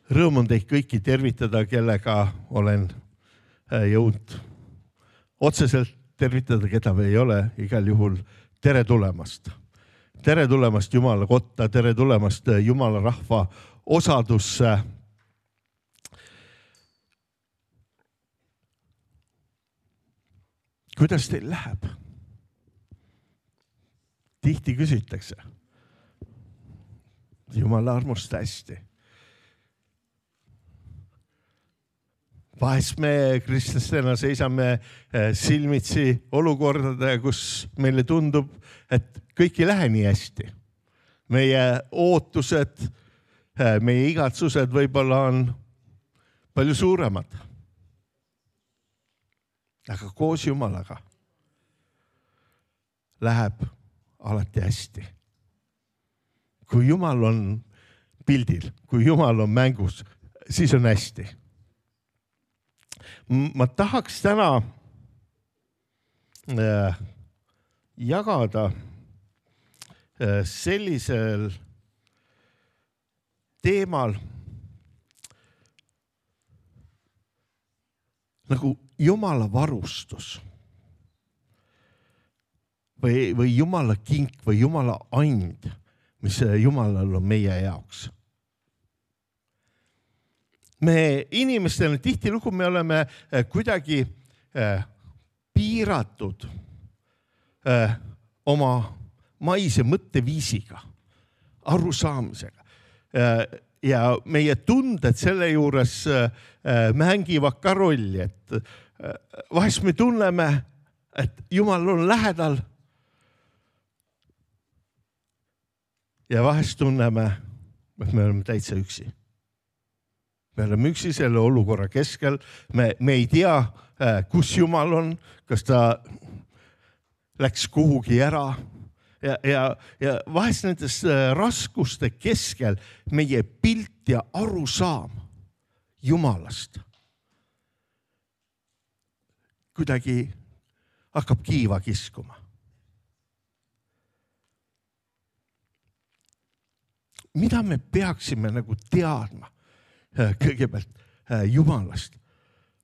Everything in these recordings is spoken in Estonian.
Rõõm on teid kõiki tervitada, kellega olen jõudnud otseselt tervitada, keda me ei ole, igal juhul tere tulemast. Tere tulemast Jumala kotta, tere tulemast Jumala rahva osadusse. Kuidas teil läheb? Tihti küsitakse. Jumala armust hästi. Vahest me kristlastena seisame silmitsi olukordade, kus meile tundub, et kõik ei lähe nii hästi. Meie ootused, meie igatsused võib-olla on palju suuremad. Aga koos Jumalaga läheb alati hästi. Kui Jumal on pildil, kui Jumal on mängus, siis on hästi. Ma tahaks täna jagada sellisel teemal nagu Jumala varustus või Jumala kink või Jumala and, mis Jumalal on meie jaoks. Me inimestena tihtilugu me oleme kuidagi piiratud oma maise mõtteviisiga, arusaamisega. Ja meie tunded selle juures mängivad ka rolli, et vahest me tunneme, et Jumal on lähedal ja vahest tunneme, et me oleme täitsa üksi. Me oleme üksi selle olukorra keskel. Me ei tea, kus Jumal on, kas ta läks kuhugi ära. Ja vahest nendes raskuste keskel meie pilt ja arusaam Jumalast kuidagi hakkab kiiva kiskuma. Mida me peaksime nagu teadma kõigepealt Jumalast,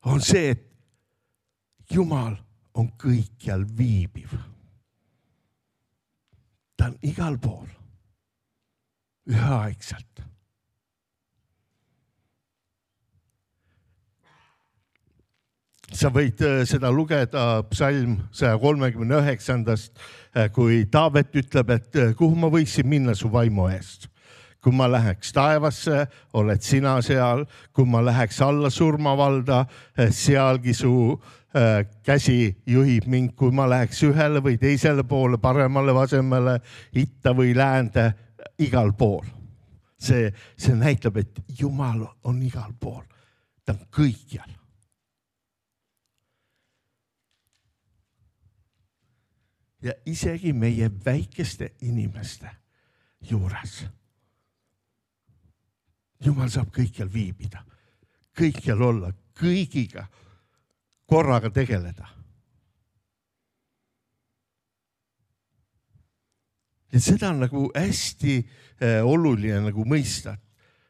on see, et Jumal on kõikjal viibiv. Ta on igal pool, üheaegselt. Sa võid seda lugeda psalm 139, kui Taavet ütleb, et kuhu ma võiksin minna su vaimu eest. Kui ma läheks taevasse, oled sina seal. Kui ma läheks alla surmavalda, sealgi su käsi juhib mind. Kui ma läheks ühele või teisele poole, paremale, vasemale, itta või läände, igal pool. See näitab, et Jumal on igal pool. Ta on kõikjal. Ja isegi meie väikeste inimeste juures. Jumal saab kõikjal viibida, kõikjal olla, kõigiga korraga tegeleda. Ja seda on nagu hästi oluline nagu mõista,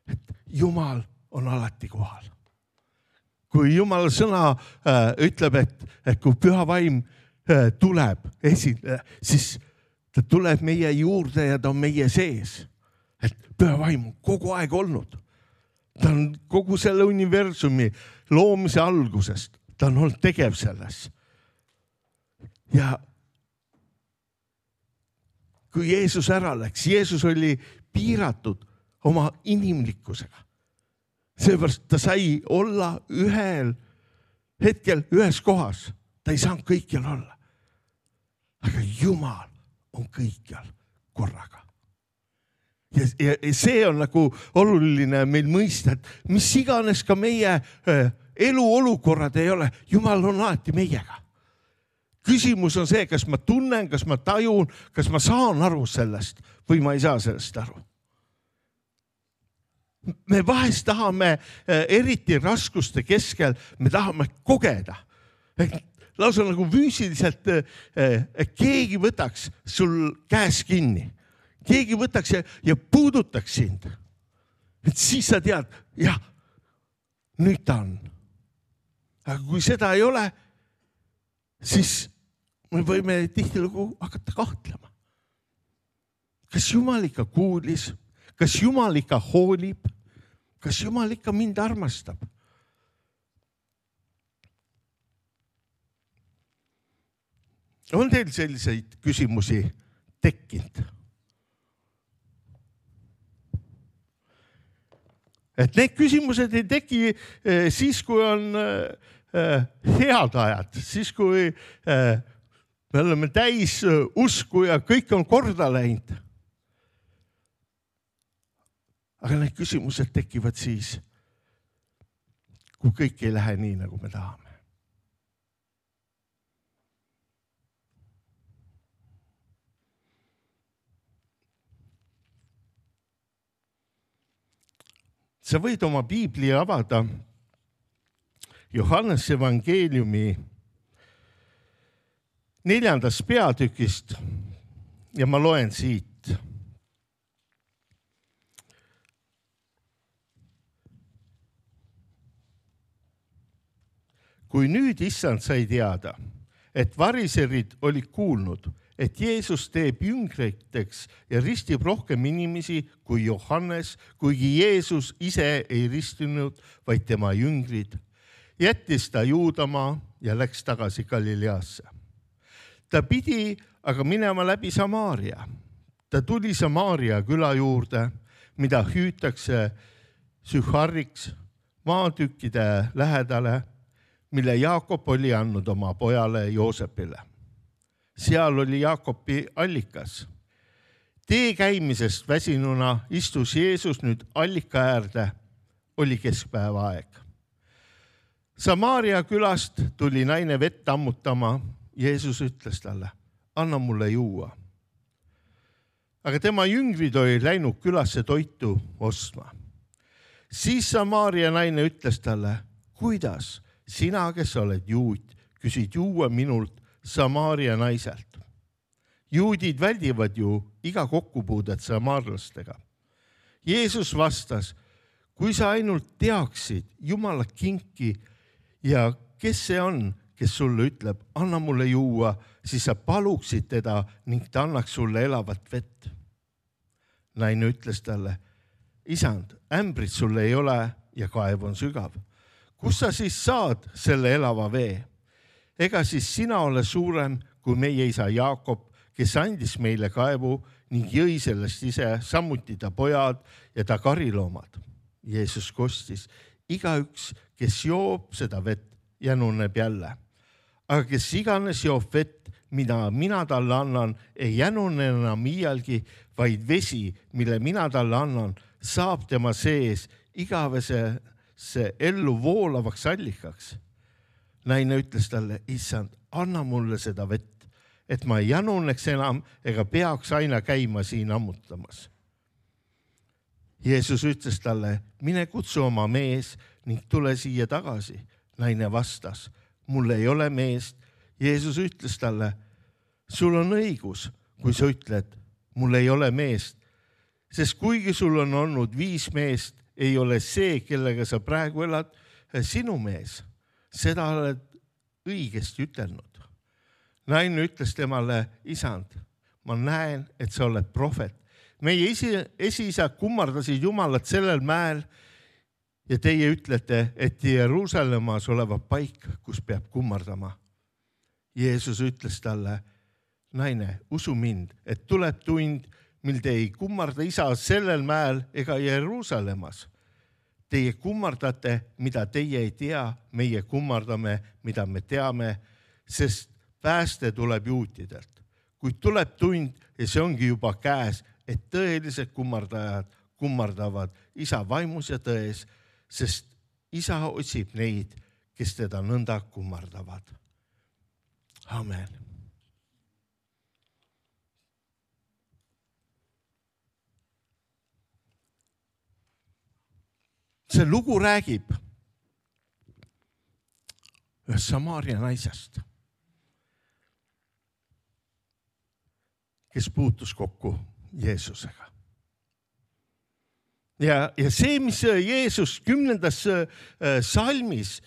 et Jumal on alati kohal. Kui Jumala sõna ütleb, et kui püha vaim tuleb esile, siis ta tuleb meie juurde ja ta on meie sees. Et püha vaim on kogu aeg olnud. Ta on kogu selle universumi loomise algusest. Ta on olnud tegev selles. Ja kui Jeesus ära läks, Jeesus oli piiratud oma inimlikkusega. Seepärast ta sai olla ühel hetkel ühes kohas. Ta ei saanud kõikjal olla. Aga Jumal on kõikjal korraga. Ja see on nagu oluline meil mõista, et mis iganes ka meie elu olukorrad ei ole, Jumal on alati meiega. Küsimus on see, kas ma tunnen, kas ma tajun, kas ma saan aru sellest või ma ei saa sellest aru. Me vahest tahame eriti raskuste keskel, me tahame kogeda. Lausa nagu füüsiliselt keegi võtaks sul käes kinni. Keegi võtaks ja puudutaks sind. et siis sa tead, jah, nüüd ta on. Aga kui seda ei ole, siis me võime tihtilugu hakata kahtlema. Kas Jumal ikka kuulis? Kas Jumal ikka hoolib? Kas Jumal ikka mind armastab? On teil selliseid küsimusi tekkinud? Et need küsimused ei teki siis, kui on head ajad, siis kui me oleme täis usku ja kõik on korda läinud. Aga need küsimused tekivad siis, kui kõik ei lähe nii, nagu me tahame. Sa võid oma piibli avada Johannese evangeeliumi 4. peatükist ja ma loen siit. Kui nüüd issand sai teada, et variserid olid kuulnud, et Jeesus teeb jüngriteks ja ristib rohkem inimesi kui Johannes, kuigi Jeesus ise ei ristinud, vaid tema jüngrid, jättis ta Juudamaa ja läks tagasi Galileasse. Ta pidi aga minema läbi Samaaria. Ta tuli Samaaria küla juurde, mida hüütakse Sühariks maatükkide lähedale, mille Jaakob oli andnud oma pojale Joosepile. Seal oli Jaakobi allikas. Tee käimisest väsinuna istus Jeesus nüüd allika äärde, oli keskpäeva aeg. Samaaria külast tuli naine vett ammutama. Jeesus ütles talle, anna mulle juua. Aga tema jüngrid olid läinud külasse toitu ostma. Siis Samaaria naine ütles talle, kuidas sina, kes oled juut, küsid juua minult Samaaria naiselt. Juudid väldivad ju iga kokkupuudet samaarlastega. Jeesus vastas, kui sa ainult teaksid Jumala kinki ja kes see on, kes sulle ütleb, anna mulle juua, siis sa paluksid teda ning ta annaks sulle elavat vett. Naine ütles talle, isand, ämbrit sulle ei ole ja kaev on sügav. Kus sa siis saad selle elava vee? Ega siis sina ole suurem kui meie isa Jaakob, kes andis meile kaevu ning jõi sellest ise, samuti ta pojad ja ta kariloomad. Jeesus kostis, igaüks, kes joob seda vett, jänuneb jälle. Aga kes iganes joob vett, mida mina talle annan, ei jänune enam iialgi, vaid vesi, mille mina talle annan, saab tema sees igavesesse ellu voolavaks allikaks. Naine ütles talle, issand, anna mulle seda vett, et ma ei jänuneks enam ega peaks aina käima siin ammutamas. Jeesus ütles talle, mine kutsu oma mees ning tule siia tagasi. Naine vastas, mul ei ole meest. Jeesus ütles talle, sul on õigus, kui sa ütled, mul ei ole meest, sest kuigi sul on olnud 5 meest, ei ole see, kellega sa praegu elad, sinu mees. Seda oled õigesti ütelnud. Naine ütles temale, isand, ma näen, et sa oled prohvet. Meie esiisad kummardasid Jumalat sellel mäel ja teie ütlete, et Jeruusalemmas olevat paik, kus peab kummardama. Jeesus ütles talle, naine, usu mind, et tuleb tund, mil te ei kummarda isa sellel mäel ega Jeruusalemmas. Teie kummardate, mida teie ei tea, meie kummardame, mida me teame, sest pääste tuleb juutidelt. Kuid tuleb tund ja see ongi juba käes, et tõelised kummardajad kummardavad isa vaimus ja tões, sest isa otsib neid, kes teda nõnda kummardavad. Amen. See lugu räägib ühest Samaaria naisest, kes puutus kokku Jeesusega. Ja see, mis Jeesus 10. salmis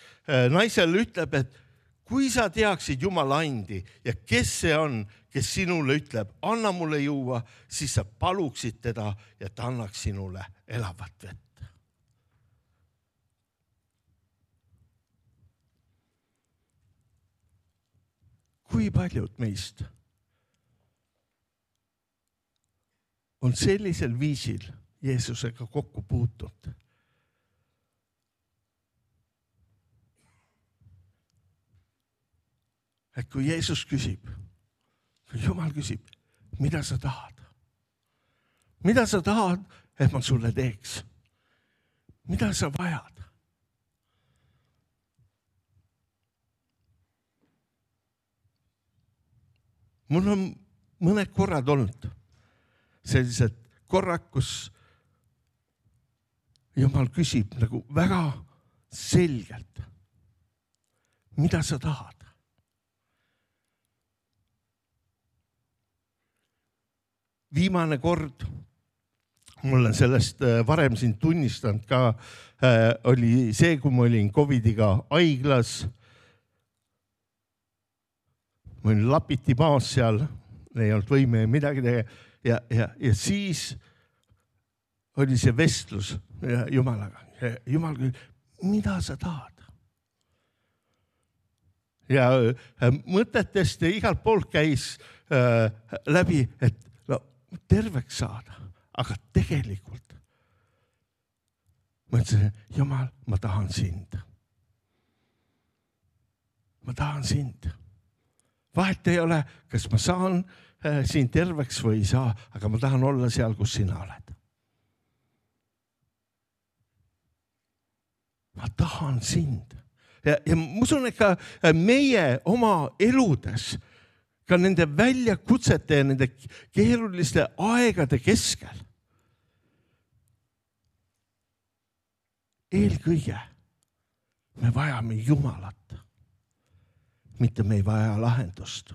naisele ütleb, et kui sa teaksid Jumala andi ja kes see on, kes sinule ütleb, anna mulle juua, siis sa paluksid teda ja ta annaks sinule elavat vett. Kui paljud meist on sellisel viisil Jeesusega kokku puutunud? Et kui Jeesus küsib, kui Jumal küsib, mida sa tahad? Mida sa tahad, et ma sulle teeks? Mida sa vajad? Mul on mõned korrad olnud sellised korrad, kus Jumal küsib nagu väga selgelt, mida sa tahad? Viimane kord, mul on sellest varem siin tunnistanud ka, oli see, kui ma olin COVIDiga haiglas. Ma olin lapiti maas seal, ei olnud võime midagi teha ja siis oli see vestlus Jumalaga. Jumal küll, mida sa tahad? Ja mõtetest igalt poolt käis läbi, et terveks saada, aga tegelikult ma ütlesin, Jumal, ma tahan sind. Ma tahan sind. Vahet ei ole, kas ma saan siin terveks või ei saa, aga ma tahan olla seal, kus sina oled. Ma tahan sind. Ja ma usun, et ka meie oma eludes, ka nende väljakutsete ja nende keeruliste aegade keskel. Eelkõige me vajame Jumalat, mitte me ei vaja lahendust.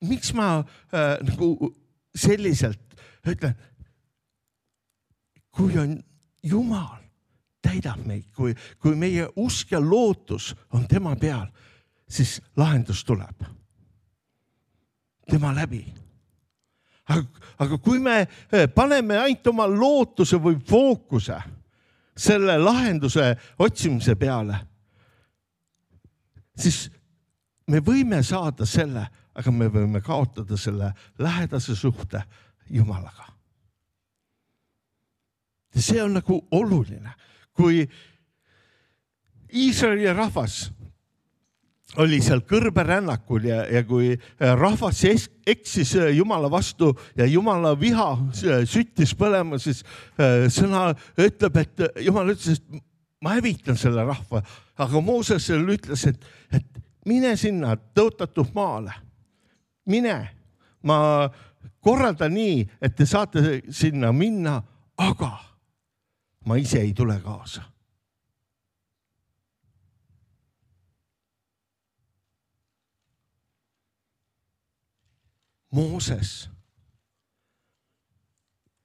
Miks ma nagu selliselt ütlen, kui on Jumal, täidab meid, kui meie usk ja lootus on tema peal, siis lahendus tuleb tema läbi. Aga kui me paneme ainult oma lootuse või fookuse selle lahenduse otsimise peale, siis me võime saada selle, aga me võime kaotada selle lähedase suhte Jumalaga. Ja see on nagu oluline. Kui Iisraeli rahvas oli seal kõrberännakul ja kui rahvas eksis Jumala vastu ja Jumala viha süttis põlema, siis sõna ütleb, et Jumal ütles, et ma hävitan selle rahva. Aga Mooses ütles, et mine sinna tõotatud maale. Mine, ma korraldan nii, et te saate sinna minna, aga ma ise ei tule kaasa. Mooses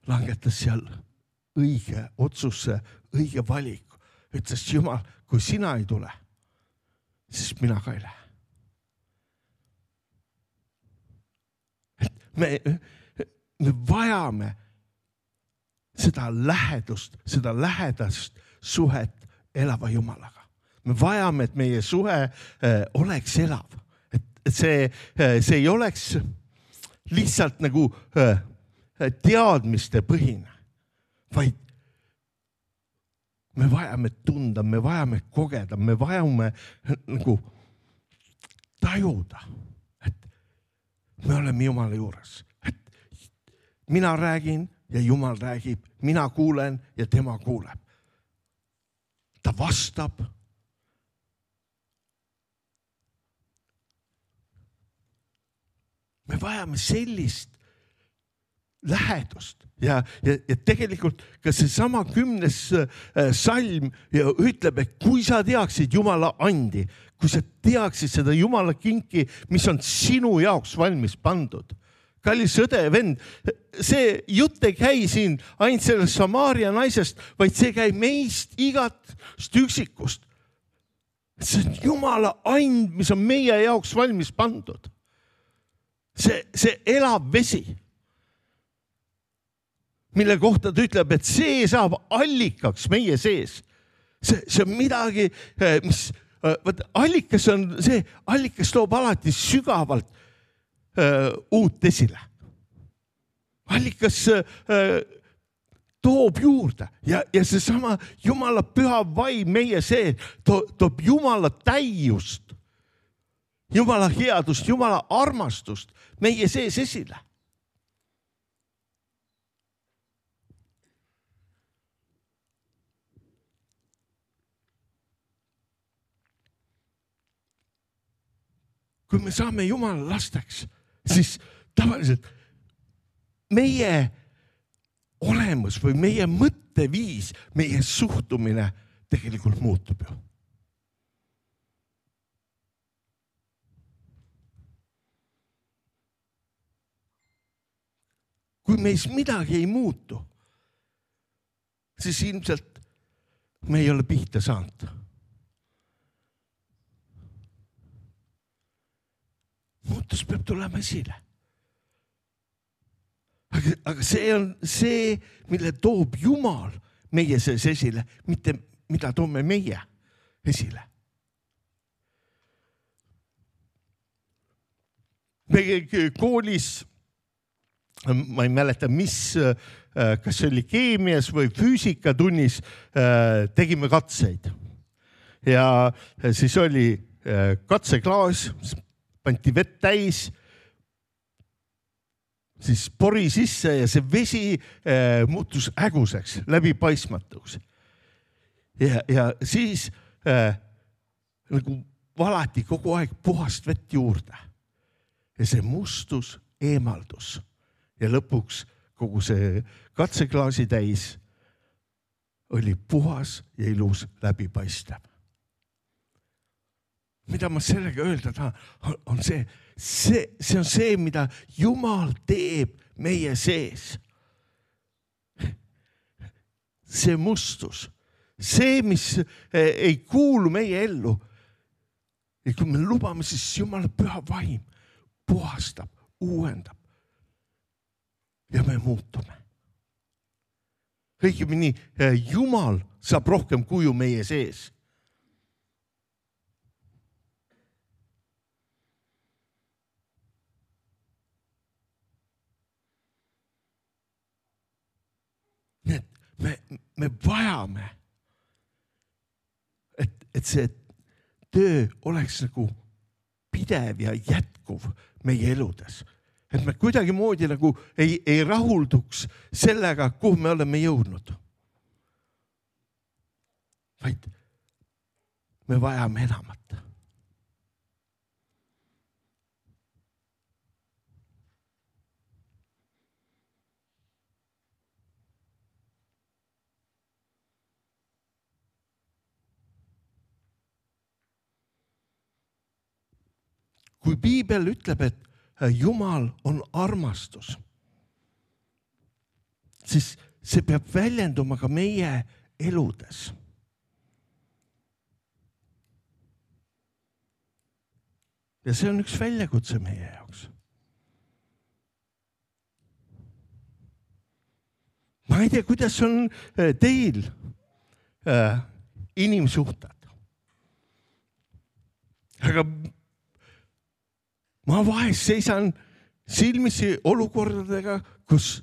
langetas seal õige otsuse, õige valiku. Ütles Jumal, kui sina ei tule, siis mina ka ei lähe. Me vajame seda lähedast suhet elava Jumalaga. Me vajame, et meie suhe oleks elav. Et see ei oleks lihtsalt nagu teadmiste põhine, vaid me vajame tunda, me vajame kogeda, me vajame nagu tajuda, et me oleme Jumala juures. Et mina räägin ja Jumal räägib, mina kuulen ja tema kuuleb. Ta vastab. Me vajame sellist lähedust ja tegelikult ka see sama 10. salm ütleb, et kui sa teaksid Jumala andi, kui sa teaksid seda Jumala kinki, mis on sinu jaoks valmis pandud. Kallis õde ja vend, see jutt ei käi siin ainult sellest Samaaria naisest, vaid see käib meist igast üksikust. See on Jumala and, mis on meie jaoks valmis pandud. See elab vesi, mille kohta ta ütleb, et see saab allikaks meie sees. See on midagi, mis allikas on see, allikas toob alati sügavalt uut esile. Allikas toob juurde ja seesama Jumala püha vaim meie see toob Jumala täiust, Jumala headust, Jumala armastust meie sees esile. Kui me saame Jumala lasteks, siis tavaliselt meie olemus või meie mõtteviis, meie suhtumine tegelikult muutub ju. Kui meis midagi ei muutu, siis ilmselt me ei ole pihta saanud. Muutus peab tulema esile. Aga see on see, mille toob Jumal meie sees esile, mitte mida toome meie esile. Me koolis, ma ei mäleta, kas oli keemias või füüsikatunnis, tegime katseid. Ja siis oli katseklaas, panti vett täis, siis pori sisse ja see vesi muutus äguseks, läbipaistmatuks. Ja siis nagu valati kogu aeg puhast vett juurde. Ja see mustus eemaldus. Ja lõpuks kogu see katseklaasi täis oli puhas ja ilus läbipaistev. Mida ma sellega öelda tahan, on see on see, mida Jumal teeb meie sees. See mustus, see, mis ei kuulu meie ellu. Ja kui me lubame, siis Jumala püha vaim puhastab, uuendab ja me muutume. Õigemini, Jumal saab rohkem kuju meie sees. Me vajame, et see töö oleks nagu pidev ja jätkuv meie eludes. Et me kuidagi moodi nagu ei rahulduks sellega, kuhu me oleme jõudnud. Vaid me vajame enamat. Kui Piibel ütleb, et Jumal on armastus, siis see peab väljenduma ka meie eludes. Ja see on üks väljakutse meie jaoks. Ma ei tea, kuidas on teil inimsuhted. Aga ma vahest seisan silmisi olukordadega, kus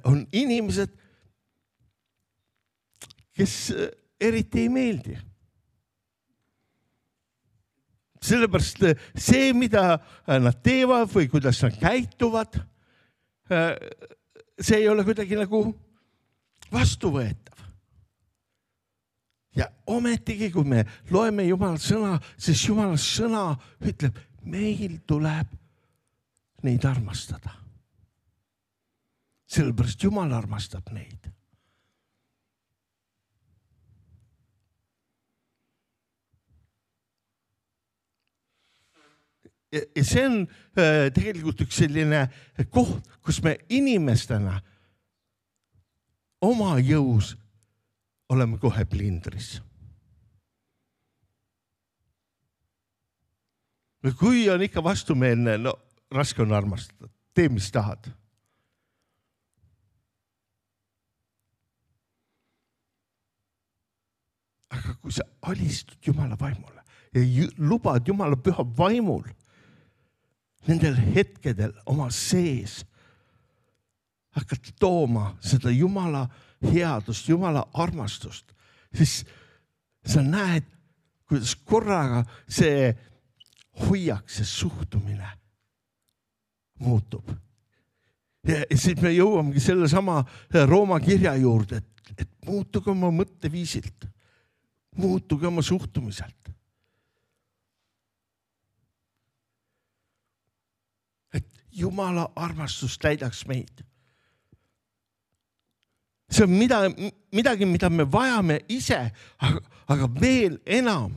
on inimesed, kes eriti ei meeldi. Sellepärast see, mida nad teevad või kuidas nad käituvad, see ei ole kuidagi nagu vastuvõetav. Ja ometigi, kui me loeme Jumala sõna, siis Jumala sõna ütleb, meil tuleb neid armastada. Sellepärast Jumal armastab neid. Ja see on tegelikult üks selline koht, kus me inimestena oma jõus oleme kohe plindris. Kui on ikka vastumeelne, no raske on armastada. Tee, mis tahad. Aga kui sa alistud Jumala vaimule ja lubad Jumala püha vaimul nendel hetkedel oma sees hakkad tooma seda Jumala headust, Jumala armastust, siis sa näed, kuidas korraga see hoiak, see suhtumine muutub. Ja siis me jõuamegi selle sama Rooma kirja juurde, et muutuge oma mõtteviisilt, muutuge oma suhtumiselt. Et Jumala armastus täidaks meid. See on midagi, mida me vajame ise, aga veel enam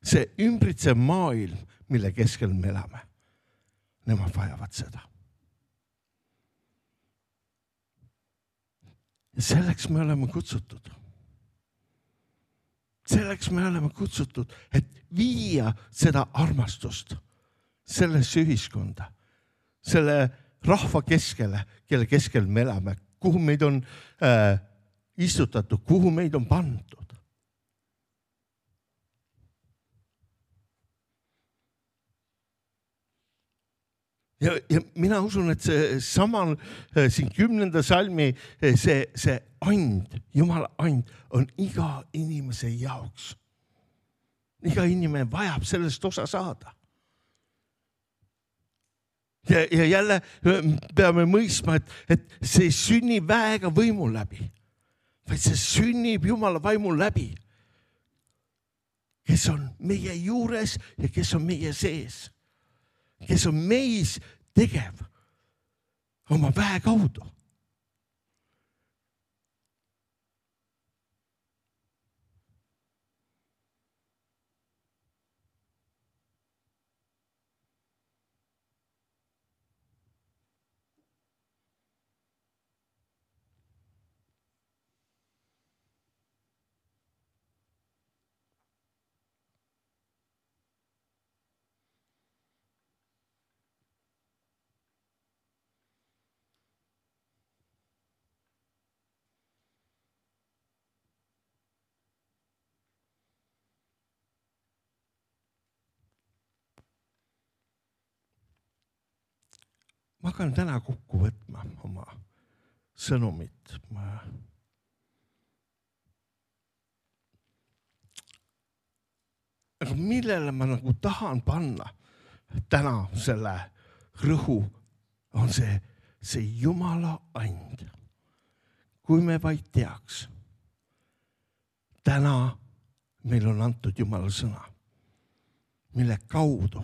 see ümbritsev maailm, mille keskel me elame. Nemad vajavad seda. Ja selleks me oleme kutsutud. Selleks me oleme kutsutud, et viia seda armastust sellesse ühiskonda, selle rahva keskele, kelle keskel me elame, kuhu meid on istutatud, kuhu meid on pandud. Ja mina usun, et see samal siin 10. salmi see and, Jumala and on iga inimese jaoks. Iga inimene vajab sellest osa saada. Ja jälle peame mõistma, et see sünnib väega võimu läbi, vaid see sünnib Jumala vaimu läbi, kes on meie juures ja kes on meie sees. Kes on meis tegev oma väe kaudu. Ma hakkan täna kokku võtma oma sõnumit. Aga millele ma nagu tahan panna täna selle rõhu, on see Jumala and. Kui me vaid teaks, täna meil on antud Jumala sõna, mille kaudu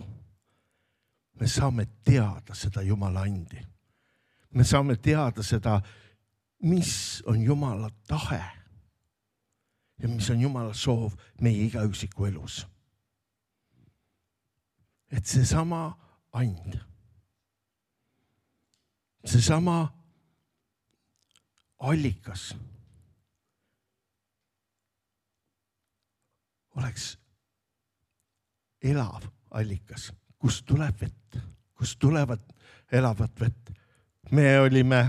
me saame teada seda Jumala andi. Me saame teada seda, mis on Jumala tahe ja mis on Jumala soov meie igaüksiku elus. Et see sama and, see sama allikas oleks elav allikas, kust tuleb vett, kust tulevad elavat vett. Me olime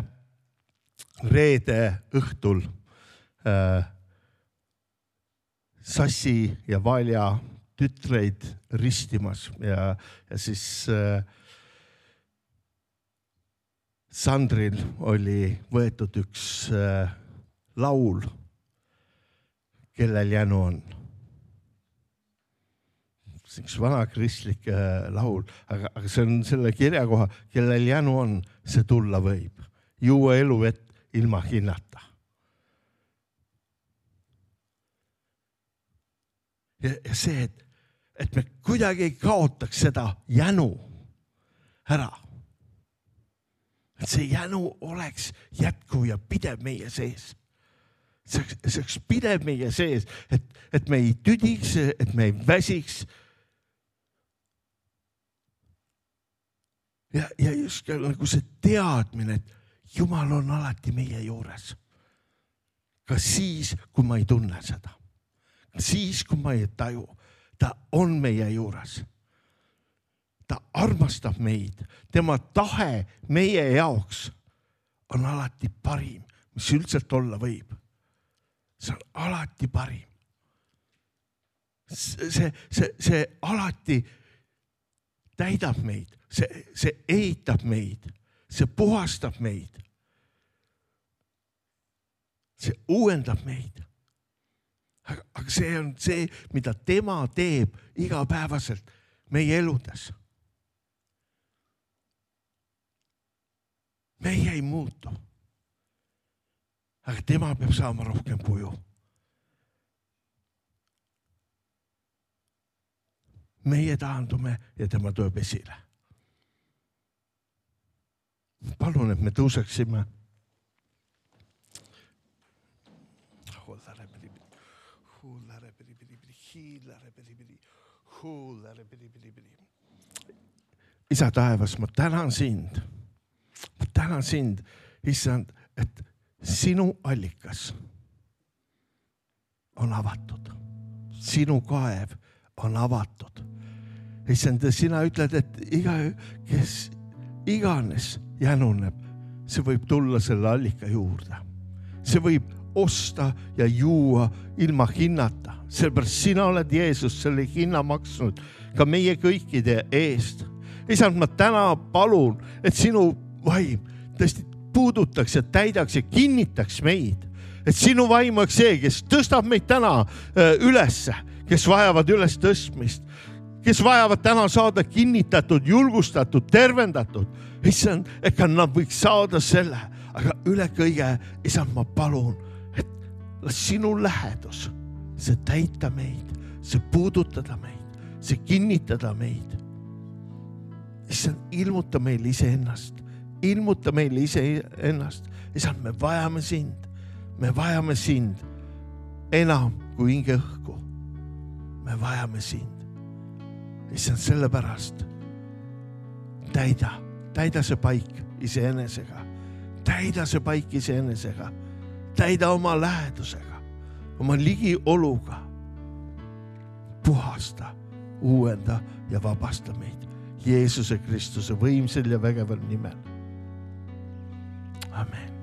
reede õhtul Sassi ja Valja tütreid ristimas ja siis Sandril oli võetud üks laul, kellel jänu on. See on üks vana kristlik laul, aga see on selle kirja koha, kellel jänu on, see tulla võib. Juua eluvett ilma hinnata. Ja see, et me kuidagi ei kaotaks seda jänu ära. Et see jänu oleks jätkuv ja pidev meie sees. See oleks pidev meie sees, et me ei tüdiks, et me ei väsiks. Ja just nagu see teadmine, et Jumal on alati meie juures. Ka siis, kui ma ei tunne seda. Ka siis, kui ma ei taju. Ta on meie juures. Ta armastab meid. Tema tahe meie jaoks on alati parim, mis üldiselt olla võib. See on alati parim. See alati täidab meid. See ehitab meid. See puhastab meid. See uuendab meid. Aga see on see, mida tema teeb igapäevaselt meie eludes. Meie ei muutu. Aga tema peab saama rohkem kuju. Meie taandume ja tema tuleb esile. Palun, et me tõuseksime. Isa taevas, ma tänan sind. Ma tänan sind, issand, et sinu allikas on avatud. Sinu kaev on avatud. Issand, sina ütled, et kes iganes jänuneb, see võib tulla selle allika juurde. See võib osta ja juua ilma hinnata. Sellepärast sina oled Jeesus selle hinna maksnud ka meie kõikide eest. Isand, ma täna palun, et sinu vaim tõesti puudutaks ja täidaks ja kinnitaks meid. Et sinu vaim oleks see, kes tõstab meid täna ülesse, kes vajavad üles tõstmist, kes vajavad täna saada kinnitatud, julgustatud, tervendatud. Isand, et ka nad võiks saada selle, aga üle kõige, isand, ma palun, et sinu lähedus, see täita meid, see puudutada meid, see kinnitada meid. Isand, ilmuta meil iseennast, ilmuta meil iseennast. Isand, me vajame sind enam kui hinge õhku. Me vajame sind. Isand, sellepärast täida see paik iseenesega. Täida see paik iseenesega. Täida oma lähedusega, oma ligioluga. Puhasta, uuenda ja vabasta meid. Jeesuse Kristuse võimsel ja vägeval nimel. Amen.